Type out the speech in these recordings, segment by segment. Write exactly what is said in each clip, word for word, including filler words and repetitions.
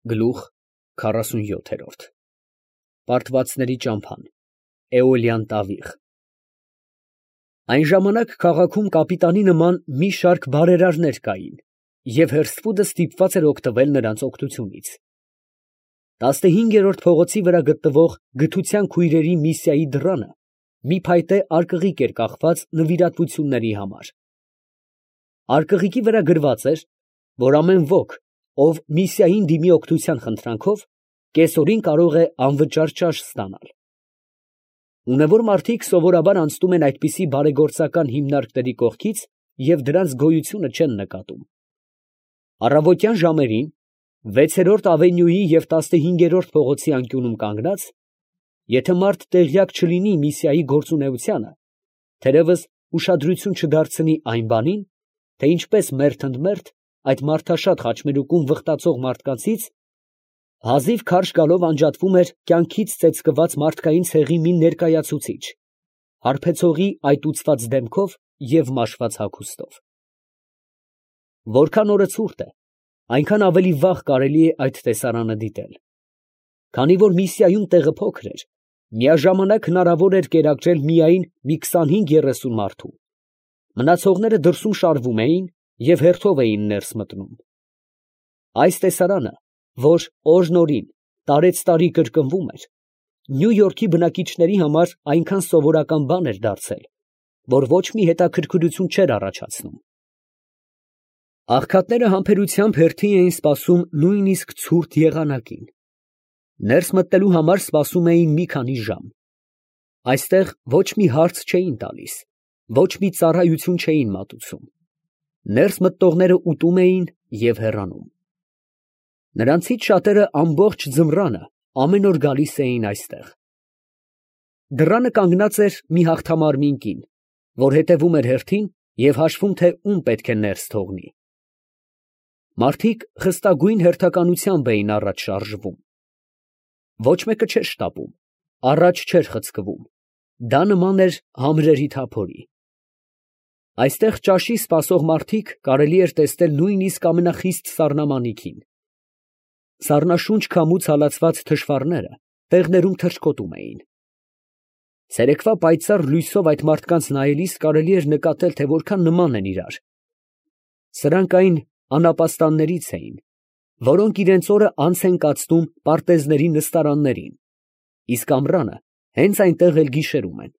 Գլուխ քառասունյոթ։ Պարտվածների ճամփան, Էոլյան տավիղ։ Այն ժամանակ քաղաքում կապիտանի նման մի շարք բարերարներ կային, և Հերսֆուդը ստիպված էր օգտվել նրանց օգնությունից։ Տասնհինգերորդ փողոցի վրա գտնվող Գթության քույրերի Միսիայի դռանը մի փայտե արկղիկ էր կախված նվիրատվությունների համար։ Արկղիկի վրա գրված էր, որ ամեն ոք, ով Միսիային դիմի օգնության խնդրանքով, կեսօրին կարող է անվճար ճաշ ստանալ։ Ունևոր մարդիկ սովորաբար անցնում են այդպիսի բարեգործական հիմնարկների կողքից և դրանց գոյությունը չեն նկատում։ Առավոտյան ժամերին, վեցերորդ ավենյուի և տասնհինգերորդ փողոցի անկյունում կանգնած, եթե մարդ տեղյակ չլինի Միսիայի գործունեությանը, թերևս ուշադրություն չդարձնի այն բանին, թե ինչպես մերթ ընդ մերթ այդ մարդաշատ խաչմերուկում վխտացող մարդկանցից հազիվ քարշ գալով անջատվում էր կյանքից ծեծկված մարդկային ցեղի մի ներկայացուցիչ, հարբեցողի այտուցված դեմքով և մաշված հագուստով։ Որքան օրը ցուրտ է, այնքան ավելի վաղ կարելի է այդ տեսարանը դիտել։ Քանի որ Միսիայում տեղը փոքր էր, միաժամանակ հնարավոր էր կերակրել միայն մի քսանհինգ֊երեսուն մարդու, մնացողները դրսում շարվում էին և հերթով էին ներս մտնում։ Այս տեսարանը, որ օրն օրին, տարեցտարի կրկնվում էր, Նյու Յորքի բնակիչների համար այնքան սովորական բան էր դարձել, որ ոչ մի հետաքրքրություն չէր առաջացնում։ Աղքատները համբերությամբ հերթի էին սպասում նույնիսկ ցուրտ եղանակին։ Ներս մտնելու համար սպասում էին մի քանի ժամ։ Այստեղ ոչ մի հարց չէին տալիս, ոչ մի ծառայություն չէին մատուցում։ Ներս մտնողները ուտում էին և հեռանում։ Նրանցից շատերը ամբողջ ձմռանը ամեն օր գալիս էին այստեղ։ Դռանը կանգնած էր մի հաղթամարմին կին, որ հետևում էր հերթին և հաշվում, թե ում պետք է ներս թողնի։ Մարդիկ խստագույն հերթականությամբ էին առաջ շարժվում։ Ոչ մեկը չէր շտապում, առաջ չէր խցկվում, դա նման էր համրերի թափորի։ Այստեղ ճաշի սպասող մարդիկ կարելի էր տեսնել նույնիսկ ամենախիստ սառնամանիքին։ Սառնաշունչ քամուց հալածված թշվառները տեղներում թռչկոտում էին։ Ցերեկվա պայծառ լույսով այդ մարդկանց նայելիս կարելի էր նկատել, թե որքան նման են իրար։ Սրանք այն անապաստաններից էին, որոնք իրենց օրը անց են կացնում պարտեզների նստարաններին, իսկ ամռանը հենց այնտեղ էլ գիշերում են։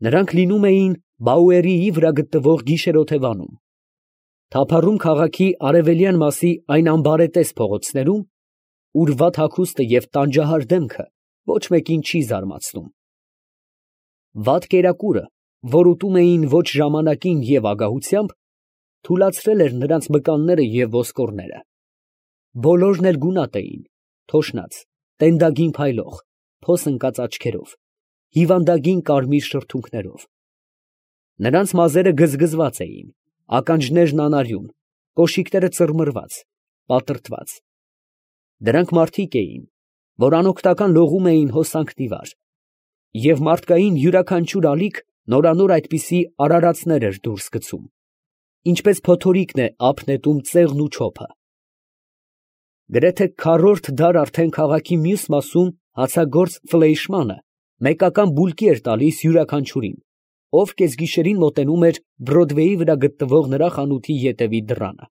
Նրանք լինում էին Բաուերիի վրա գտնվող գիշերօթևանում, թափառում քաղաքի արևելյան մասի այն անբարետես փողոցներում, ուր վատ հագուստը և տանջահար դեմքը ոչ մեկին չի զարմացնում։ Վատ կերակուրը, որ ուտում էին ոչ ժամանակին և ագահությամբ, թուլացրել էր նրանց մկանները և ոսկորները։ Բոլորն էլ գունատ էին, թոշնած, տենդագին փայլող, փոս ընկած աչքերով, հիվանդագին կարմիր շրթունքներով։ Նրանց մազերը գզգզված էին, ականջներն անարյուն, կոշիկները ծռմռված, պատրտված։ Դրանք մարդիկ էին, որ անօգնական լողում էին հոսանքդիվար, և մարդկային յուրաքանչյուր ալիք նորանոր այդպիսի արարածներ էր դուրս գցում, ինչպես փոթորիկն է ափ նետում ծեղն ու չոփը։ Գրեթե քառորդ դար արդեն քաղաքի մյուս մասում հացագործ Ֆլեյշմանը մեկական բուլկի էր տալիս յուրաքանչյուրին, ով կեսգիշերին մոտենում էր Բրոդվեյի վրա գտնվող նրա խանութի ետևի դռանը։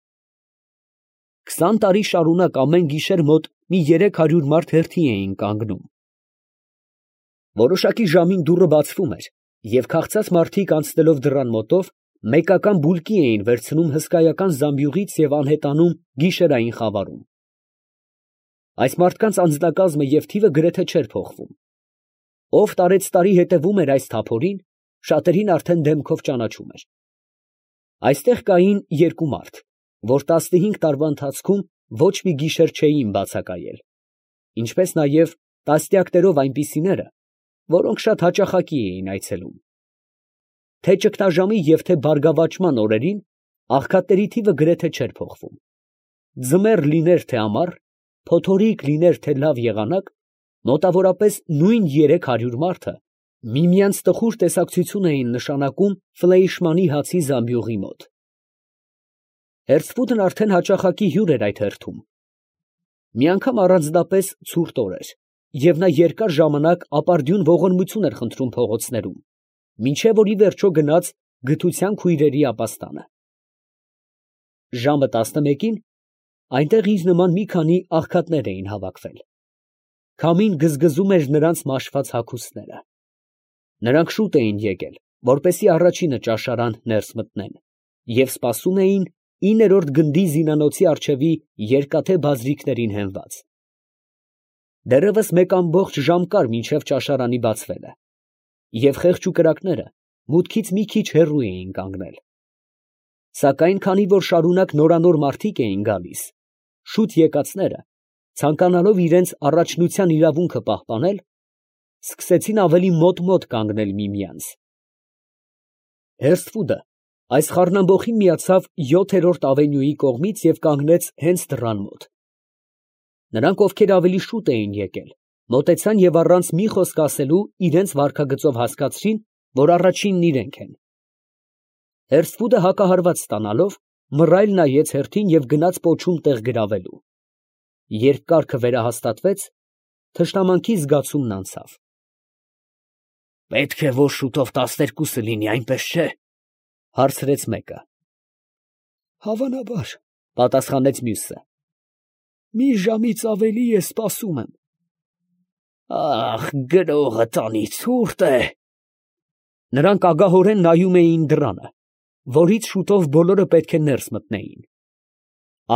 Քսան տարի շարունակ ամեն գիշեր մոտ մի երեք հարյուր մարդ հերթի էին կանգնում։ Որոշակի ժամին դուռը բացվում էր, և քաղցած մարդիկ անցնելով դռան մոտով, մեկական բուլկի էին վերցնում հսկայական զամբյուղից և անհետանում գիշերային խավարում։ Այս մարդկանց անձնակազմը և թիվը գրեթե չէր փոխվում։ Ով տարեցտարի հետևում էր այս թափորին, շատերին արդեն դեմքով ճանաչում էր։ Այստեղ կային երկու մարդ, որ տասնհինգ տարվա ընթացքում ոչ մի գիշեր չէին բացակայել, ինչպես նաև տասնյակներով այնպիսիները, որոնք շատ հաճախակի էին այցելում։ Թե ճգնաժամի և թե բարգավաճման օրերին աղքատների թիվը գրեթե չէր փոխվում։ Ձմեռ լիներ թե ամառ, փոթորիկ լիներ թե լավ եղանակ, մոտավորապես նույն երեք հարյուր մարդը միմյանց տխուր տեսակցություն էին նշանակում Ֆլեյշմանի հացի զամբյուղի մոտ։ Հերսֆուդն արդեն հաճախակի հյուր էր այդ հերթում։ Մի անգամ առանձնապես ցուրտ օր էր, և նա երկար ժամանակ ապարդյուն ողորմություն էր խնդրում փողոցներում, մինչև որ ի վերջո գնաց գթության քույրերի ապաստանը։ Ժամը տասնմեկին այնտեղ իր նման մի քանի աղքատներ էին հավաքվել. քամին գզգզում էր նրանց մաշված հագուստները։ Նրանք շուտ էին եկել, որպեսզի առաջինը ճաշարան ներս մտնեն, և սպասում էին իններորդ գնդի զինանոցի առջևի երկաթե բազրիքներին հենված։ Դեռևս մեկ ամբողջ ժամ կար մինչև ճաշարանի բացվելը, և խեղճ ու կրակները մուտքից մի քիչ հեռու էին կանգնել։ Սակայն քանի որ շարունակ նորանոր մարդիկ էին գալիս, շուտ եկածները, ցանկանալով իրենց առաջնության իրավունքը պահպանել, սկսեցին ավելի մոտ֊մոտ կանգնել միմյանց։ Հերսֆուդը այս խառնամբոխին միացավ յոթերորդ ավենյուի կողմից և կանգնեց հենց դռան մոտ։ Նրանք, ովքեր ավելի շուտ էին եկել, մոտեցան և առանց մի խոսք ասելու իրենց վարքագծով հասկացրին, որ առաջինն իրենք են։ Հերսֆուդը հակահարված ստանալով, մռայլ նայեց հերթին և գնաց պոչում տեղ գրավելու։ Երբ կարգը վերահաստատվեց, թշնամանքի զգացումն անցավ։ ֊ Պետք է որ շուտով տասներկուսը լինի, այնպես չէ՞, հարցրեց մեկը։ ֊ Հավանաբար, ֊ պատասխանեց մյուսը։ ֊ Մի ժամից ավելի է սպասում եմ։ ֊ Ա՜խ, գրողը տանի ցուրտ է։ Նրանք ագահորեն նայում էին դռանը, որից շուտով բոլորը պետք է ներս մտնեին։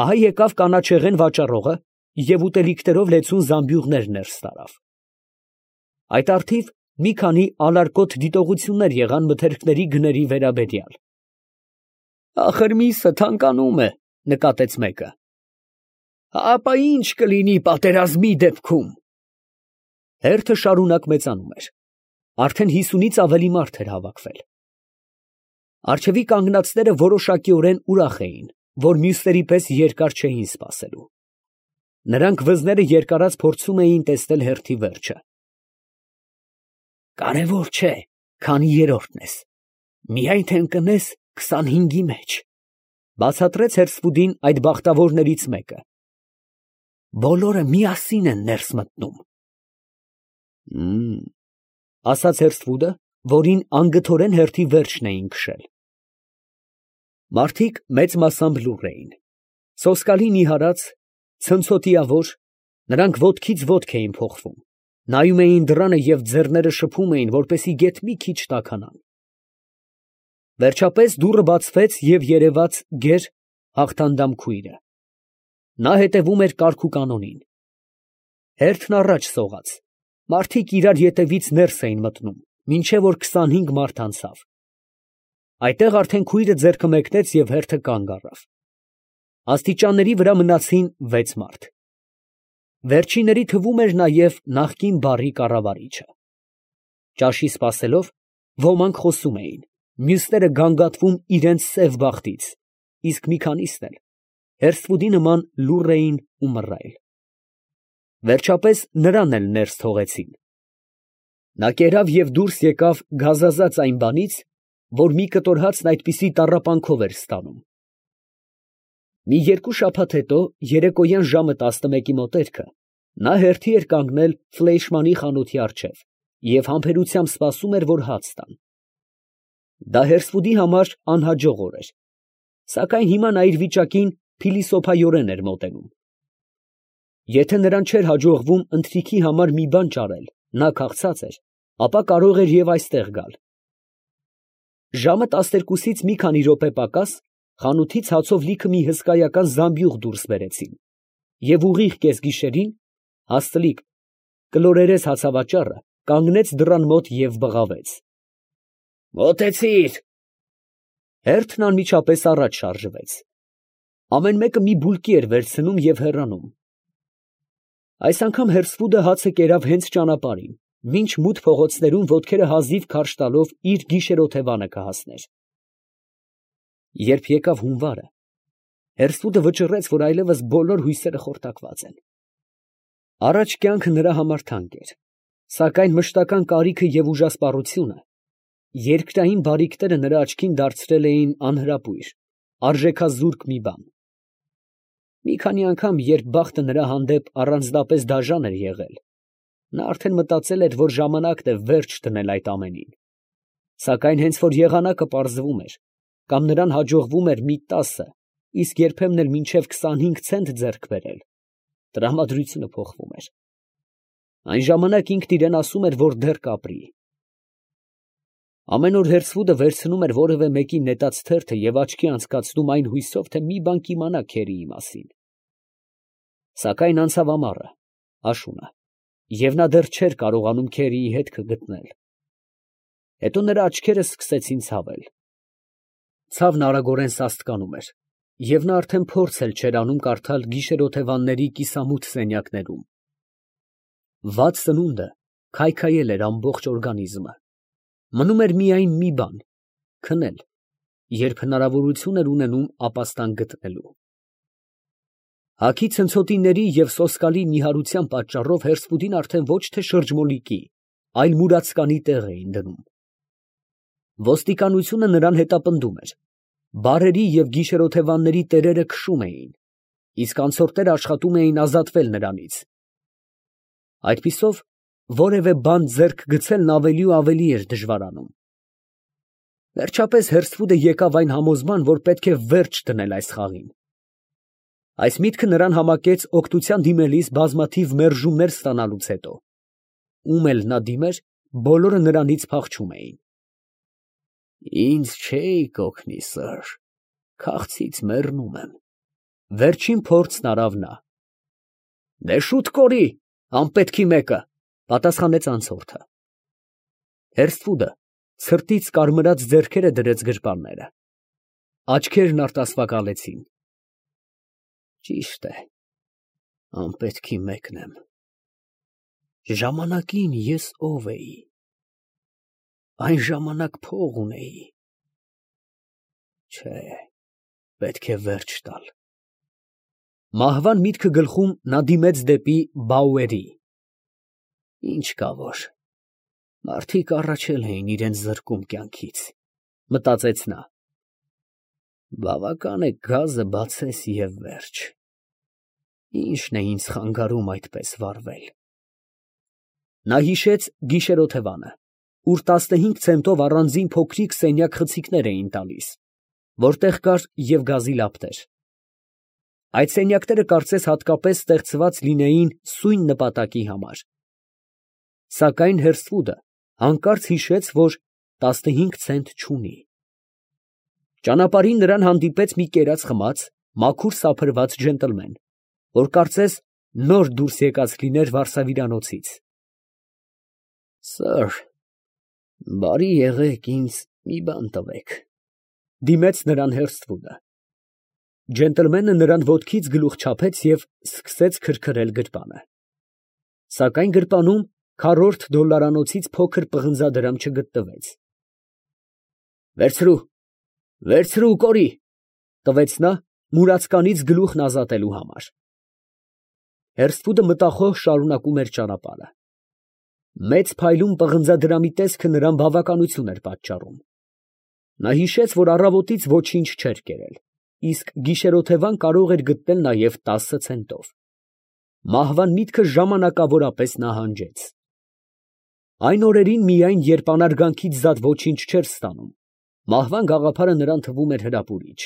Ահա եկավ կանաչեղեն վաճառողը և ուտելիքներով լեցուն զամբյուղներ ներս տարավ։ Այդ առթիվ մի քանի ալարկոտ դիտողություններ եղան մթերքների գների վերաբերյալ։ ֊ Ախր միսը թանկանում է, ֊ նկատեց մեկը։ ֊ Ապա ի՞նչ կլինի պատերազմի դեպքում։ Հերթը շարունակ մեծանում էր։ Արդեն հիսունից ավելի մարդ էր հավաքվել։ Առջևի կանգնածները որոշակիորեն ուրախ էին, որ մյուսների պես երկար չէին սպասելու։ Նրանք վզները երկարած փորձում էին տեսնել հերթի վերջը։ Կարևոր չէ, քանի երրորդն ես, միայն թե ընկնես քսանհինգի մեջ, ֊ բացատրեց Հերսֆուդին այդ բախտավորներից մեկը։ Բոլորը միասին են ներս մտնում։ ֊ Հըմ, ֊ ասաց Հերսֆուդը, որին անգթորեն հերթի վերջն էին քշել։ Մարդիկ մեծ մասամբ լուռ էին, սոսկալի նիհարած, ցնցոտիավոր, նրանք ոտքից ոտք էին փոխվում, նայում էին դռանը և ձեռները շփում էին, որպեսզի գեթ մի քիչ տաքանան։ Վերջապես դուռը բացվեց և երևաց գեր, հաղթանդամ քույրը։ Նա հետևում էր կարգ ու կանոնին։ Հերթն առաջ սողաց, մարդիկ իրար ետևից ներս էին մտնում, մինչև որ քսանհինգ մարդ անցավ։ Այդտեղ արդեն քույրը ձեռքը մեկնեց և հերթը կանգ առավ։ Աստիճանների վրա մնացին վեց մարդ։ Վերջինների թվում էր նաև նախկին բարի կառավարիչը։ Ճաշի սպասելով, ոմանք խոսում էին, մյուսները գանգատվում իրենց սև բախտից, իսկ մի քանիսն էլ Հերսֆուդի նման լուռ էին ու մռայլ։ Վերջապես նրան էլ ներս թողեցին։ Նա կերավ և դուրս եկավ գազազած այն բանից, որ մի կտոր հացն այդպիսի տառապանքով էր ստանում։ Մի երկու շաբաթ հետո, երեկոյան ժամը տասնմեկի մոտերքը, նա հերթի էր կանգնել Ֆլեյշմանի խանութի առջև և համբերությամբ սպասում էր, որ հաց տան։ Դա Հերսֆուդի համար անհաջող օր էր, սակայն հիմա նա իր վիճակին փիլիսոփայորեն էր մոտենում։ Եթե նրան չէր հաջողվում ընթրիքի համար մի բան ճարել, նա քաղցած էր, ապա կարող էր և այստեղ գալ։ Ժամը տասներկուսից մի քանի րոպե պակաս խանութից հացով լիքը մի հսկայական զամբյուղ դուրս բերեցին, և ուղիղ կեսգիշերին հաստլիկ կլորերես հացավաճառը կանգնեց դռան մոտ և բղավեց. «Մոտեցի՛ր»։ Հերթն անմիջապես առաջ շարժվեց։ Ամեն մեկը մի բուլկի էր վերցնում և հեռանում։ Այս անգամ Հերսֆուդը հացը կերավ հենց ճանապարհին, մինչ մութ փողոցներում ոտքերը հազիվ քարշ տալով իր գիշերօթևանը կհասներ։ Երբ եկավ հունվարը, Հերսֆուդը վճռեց, որ այլևս բոլոր հույսերը խորտակված են։ Առաջ կյանքը նրա համար թանկ էր, սակայն մշտական կարիքը և ուժասպառությունը, երկրային բարիքները նրա աչքին դարձրել էին անհրապույր, արժեքազուրկ մի բան։ Մի քանի անգամ, երբ բախտը նրա հանդեպ առանձնապես դաժան էր եղել, նա արդեն մտածել էր, որ ժամանակն է վերջ դնել այդ ամենին. սակայն հենց որ եղանակը պարզվում էր, կամ նրան հաջողվում էր մի տասը, իսկ երբեմն էլ մինչև քսանհինգ ցենտ ձեռք բերել, տրամադրությունը փոխվում էր։ Այն ժամանակ ինքն իրեն ասում էր, որ դեռ կապրի։ Ամեն օր Հերսվուդը վերցնում էր որևէ մեկի նետած թերթը և աչքի անցկացնում այն հույսով, թե մի բան կիմանա քերիի մասին։ Սակայն անցավ ամառը, աշունը, և նա դեռ չէր կարողանում քերիի հետքը գտնել։ Հետո նրա աչքերը սկսեցին ցավել։ Ցավն արագորեն սաստկանում էր, և նա արդեն փորձ էլ չէր անում կարդալ գիշերօթևանների կիսամութ սենյակներում։ Վատ սնունդը քայքայել էր ամբողջ օրգանիզմը։ Մնում էր միայն մի բան՝ քնել, երբ հնարավորություն էր ունենում ապաստան գտնելու։ Հագի ցնցոտիների և սոսկալի նիհարության պատճառով Հերսվուդին արդեն ոչ թե շրջմոլիկի, այլ մուրացկանի տեղ էին դնում։ Ոստիկանությունը նրան հետապնդում էր, բարերի և գիշերօթևանների տերերը քշում էին, իսկ անցորդները աշխատում էին ազատվել նրանից։ Այդպիսով որևէ բան ձեռք գցելն ավելի ու ավելի էր դժվարանում։ Վերջապես Հերսվուդը եկավ այն համոզման, որ պետք է վերջ դնել այս խաղին։ Այս միտքը նրան համակեց օգնության դիմելիս բազմաթիվ մերժումներ ստանալուց հետո։ Ում էլ նա դիմեր, բոլորը նրանից փախչում էին։ Ինձ չէիք օգնի, սըր, քաղցից մեռնում եմ, վերջին փորձն արավ նա։ Դե շուտ կորի, անպետքի մեկը, պատասխանեց անցորդը։ Հերսվուդը ցրտից կարմրած ձեռքերը դրեց գրպանները։ Աչքերն արտասվակալեցին։ Ճիշտ է, անպետքի մեկն եմ։ Ժամանակին ես ով էի։ Այն ժամանակ փող ունեի։ Չէ, պետք է վերջ տալ։ Մահվան միտքը գլխում նա դիմեց դեպի Բաուերի։ Ինչ կա որ, մարդիկ առաջել էին իրենց զրկում կյանքից, մտածեց նա։ Բավական է գազը բացես և վերջ։ Ի՞նչն է ինձ խանգարում այդպես վարվել։ Նա հիշեց գիշերօթևանը, ուր տասնհինգ ցենտով առանձին փոքրիկ սենյակ խցիկներ էին տալիս, որտեղ կար և գազի լապտեր։ Այդ սենյակները կարծես հատկապես ստեղծված լինեին սույն նպատակի համար։ Սակայն Հերսվուդը հանկարծ հիշեց, որ տասնհինգ ցենտ չունի։ Ճանապարհին նրան հանդիպեց մի կերած խմած, մաքուր սափրված ջենտլմեն, որ կարծես նոր դուրս եկած լիներ վարսավիրանոցից։ Սըր, բարի եղեք, ինձ մի բան տվեք, դիմեց նրան Հերսվուդը։ Ջենտլմենը նրան ոտքից գլուխ չափեց և սկսեց քրքրել գրպանը։ Սակայն գրպանում քառորդ դոլլարանոցից փոքր պղնձադրամ չգտնվեց։ Վերցրու, վերցրու, կորի, տվեց նա մուրացկանից գլուխն ազատելու համար։ Հերսվուդը մտախոհ շարունակում էր ճանապարհը։ Մեծ փայլուն պղնձադրամի տեսքը նրան բավականություն էր պատճառում։ Նա հիշեց, որ առավոտից ոչինչ չէր կերել, իսկ գիշերօթևան կարող էր գտնել նաև տասը ցենտով։ Մահվան միտքը ժամանակավորապես նահանջեց։ Այն օրերին միայն, երբ անարգանքից զատ ոչինչ չէր ստանում, մահվան գաղափարը նրան թվում էր հրապուրիչ։